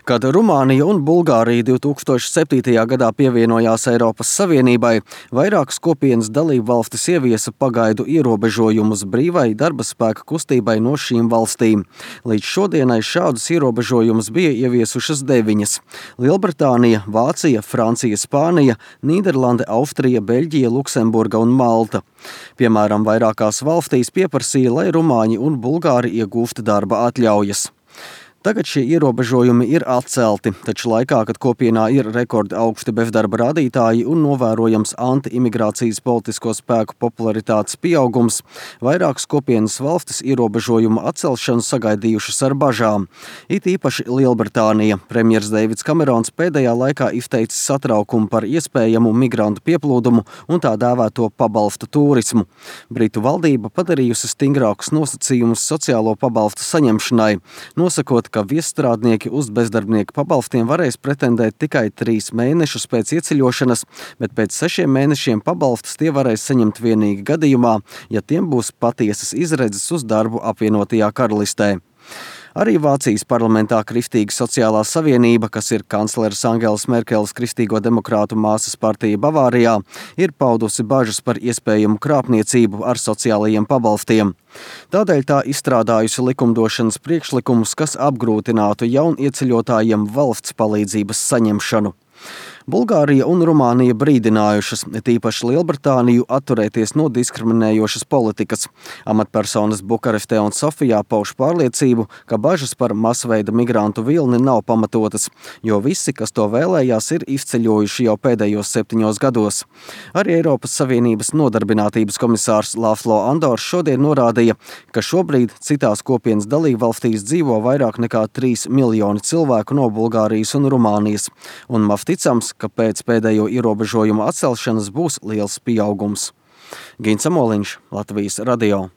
Kad Rumānija un Bulgārija 2007. gadā pievienojās Eiropas Savienībai, vairākas kopienas dalībvalstis ieviesa pagaidu ierobežojumus brīvai darba spēka kustībai no šīm valstīm. Līdz šodienai šādus ierobežojumus bija ieviesušas 9 – Lielbritānija, Vācija, Francija, Spānija, Nīderlande, Austrija, Beļģija, Luksemburga un Malta. Piemēram, vairākās valstīs pieprasīja, lai rumāņi un bulgāri iegūtu darba atļaujas. Tagad šie ierobežojumi ir atcelti, taču laikā, kad kopienā ir rekordi augsti bezdarba rādītāji un novērojams anti-imigrācijas politisko spēku popularitātes pieaugums, vairākas kopienas valstis ierobežojumu atcelšanu sagaidījušas ar bažām. It īpaši Lielbritānija. Premjers Deivids Kamerons pēdējā laikā izteicis satraukumu par iespējamu migrantu pieplūdumu un tā dēvēto pabalstu turismu. Britu valdība padarījusi stingrākus nosacījumus sociālo pabalstu saņemšanai, nosakot, ka viesstrādnieki uz bezdarbnieku pabalstiem varēs pretendēt tikai 3 mēnešus pēc ieceļošanas, bet pēc 6 mēnešiem pabalstus tie varēs saņemt vienīgi gadījumā, ja tiem būs patiesas izredzes uz darbu apvienotajā karalistē. Arī Vācijas parlamentā Kristīga sociālā savienība, kas ir kancleres Angelas Merkeles Kristīgo demokrātu māsas partija Bavārijā, ir paudusi bažas par iespējamu krāpniecību ar sociālajiem pabalstiem. Tādēļ tā izstrādājusi likumdošanas priekšlikumus, kas apgrūtinātu jaunieceļotājiem valsts palīdzības saņemšanu. Bulgārija un Rumānija brīdinājušas, tīpaši Lielbritāniju, atturēties no diskriminējošas politikas. Amatpersonas Bukarestē un Sofijā pauž pārliecību, ka bažas par masveida migrantu vilni nav pamatotas, jo visi, kas to vēlējās, ir izceļojuši jau pēdējos 7 gados. Arī Eiropas Savienības nodarbinātības komisārs László Andors šodien norādīja, ka šobrīd citās kopienas dalībvalstīs dzīvo vairāk nekā 3 miljoni cilvēku no Bulgārijas un Rumānijas, un ticams, ka pēc pēdējo ierobežojumu atcelšanas būs liels pieaugums. Gins Amoliņš, Latvijas radio.